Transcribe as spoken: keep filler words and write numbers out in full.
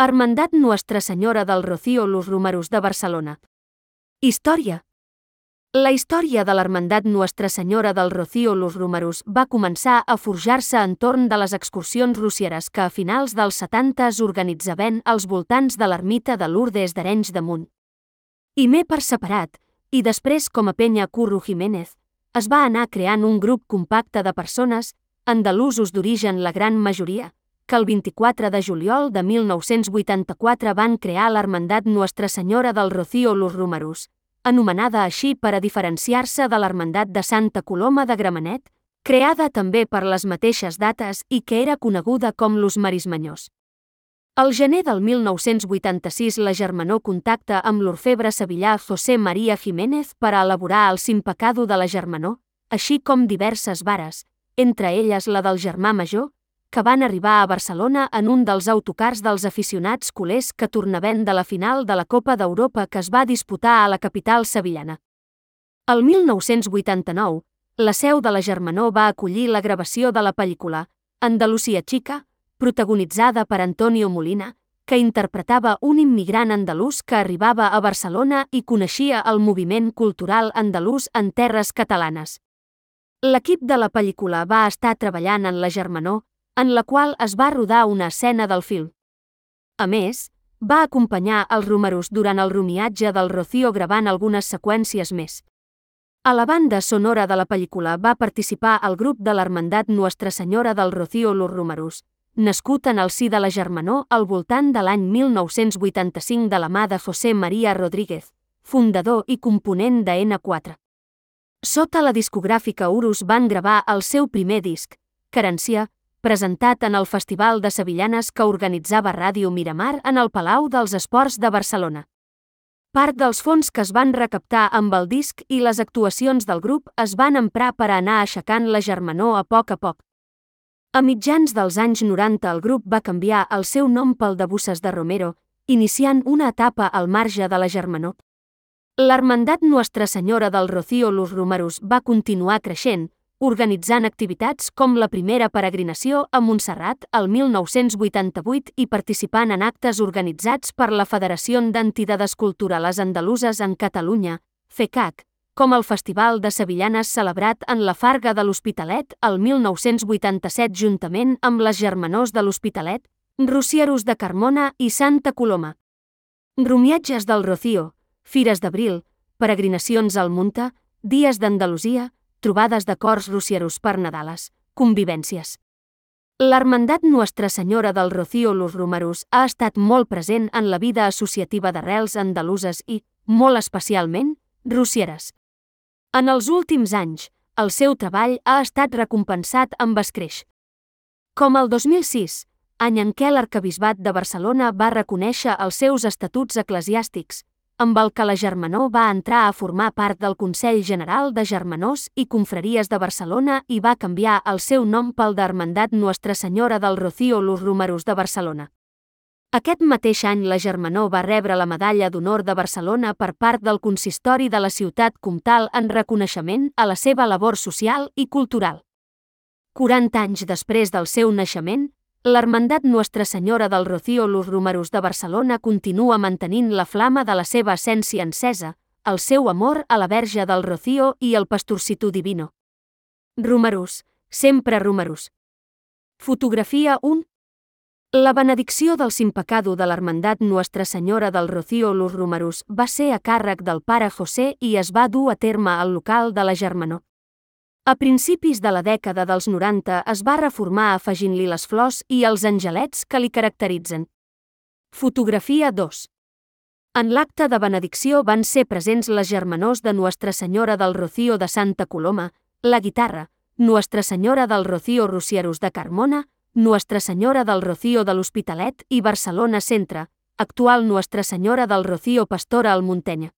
Hermandat Nuestra Senyora del Rocío Los Romeros de Barcelona. Història. La història de l'Hermandat Nuestra Senyora del Rocío Los Romeros va començar a forjar-se entorn de les excursions rocieres que a finals dels setanta es organitzaven als voltants de l'ermita de Lourdes d'Arenys de Munt. I més per separat, i després com a penya Curro Jiménez, es va anar creant un grup compacte de persones, andalusos d'origen la gran majoria, que el vint-i-quatre de juliol de mil nou-cents vuitanta-quatre van crear l'Hermandat Nuestra Senyora del Rocío Los Romeros, anomenada així per a diferenciar-se de l'Hermandat de Santa Coloma de Gramenet, creada també per les mateixes dates i que era coneguda com Los Marismenyors. Al gener del mil nou-cents vuitanta-sis la germanor contacta amb l'orfebre sevillà José María Jiménez per a elaborar el simpecado de la germanor, així com diverses vares, entre elles la del germà major, que van arribar a Barcelona en un dels autocars dels aficionats culers que tornaven de la final de la Copa d'Europa que es va disputar a la capital sevillana. El mil nou-cents vuitanta-nou, la seu de la germanor va acollir la gravació de la pel·lícula Andalusia Chica, protagonitzada per Antonio Molina, que interpretava un immigrant andalús que arribava a Barcelona i coneixia el moviment cultural andalús en terres catalanes. L'equip de la pel·lícula va estar treballant en la germanor, en la qual es va rodar una escena del film. A més, va acompanyar els Romeros durant el romiatge del Rocío gravant algunes seqüències més. A la banda sonora de la pel·lícula va participar el grup de l'Hermandat Nuestra Senyora del Rocío Los Romeros, nascut en el si de la germanor al voltant de l'any mil nou-cents vuitanta-cinc de la mà de José María Rodríguez, fundador i component de ena quatre. Sota la discogràfica Urus van gravar el seu primer disc, Querència, presentat en el Festival de Sevillanes que organitzava Ràdio Miramar en el Palau dels Esports de Barcelona. Part dels fons que es van recaptar amb el disc i les actuacions del grup es van emprar per a anar aixecant la germanor a poc a poc. A mitjans dels anys noranta el grup va canviar el seu nom pel de Busses de Romero, iniciant una etapa al marge de la germanor. L'Hermandat Nuestra Senyora del Rocío Los Romeros va continuar creixent, organitzant activitats com la primera peregrinació a Montserrat el mil nou-cents vuitanta-vuit i participant en actes organitzats per la Federació d'Entidades Culturales Andaluses en Catalunya, FECAC, com el Festival de Sevillanes celebrat en la Farga de l'Hospitalet el mil nou-cents vuitanta-set juntament amb les germanors de l'Hospitalet, Rocieros de Carmona i Santa Coloma. Romiatges del Rocío, Fires d'Abril, peregrinacions al Munta, Dies d'Andalusia, trobades de cors rocieros per Nadales, convivències. L'Hermandat Nuestra Senyora del Rocío Los Romeros ha estat molt present en la vida associativa d'arrels andaluses i, molt especialment, rocieres. En els últims anys, el seu treball ha estat recompensat amb escreix. Com el dos mil sis, any en què l'Arquebisbat de Barcelona va reconèixer els seus estatuts eclesiàstics, amb el que la germanor va entrar a formar part del Consell General de Germanors i Confraries de Barcelona i va canviar el seu nom pel d'Hermandat Nuestra Senyora del Rocío Los Romeros de Barcelona. Aquest mateix any la germanor va rebre la Medalla d'Honor de Barcelona per part del Consistori de la ciutat comtal en reconeixement a la seva labor social i cultural. quaranta anys després del seu naixement, l'Hermandat Nuestra Senyora del Rocío Los Romeros de Barcelona continua mantenint la flama de la seva essència encesa, el seu amor a la Verge del Rocío i el Pastorcito Divino. Romeros, sempre Romeros. Fotografia un. La benedicció del simpecado de l'Hermandat Nuestra Senyora del Rocío Los Romeros va ser a càrrec del pare José i es va dur a terme al local de la germanor. A principis de la dècada dels noranta es va reformar afegint-li les flors i els angelets que li caracteritzen. Fotografia dos. En l'acte de benedicció van ser presents les germanors de Nuestra Senyora del Rocío de Santa Coloma, la guitarra, Nuestra Senyora del Rocío Rocieros de Carmona, Nuestra Senyora del Rocío de l'Hospitalet i Barcelona Centre, actual Nuestra Senyora del Rocío Pastora al Muntenya.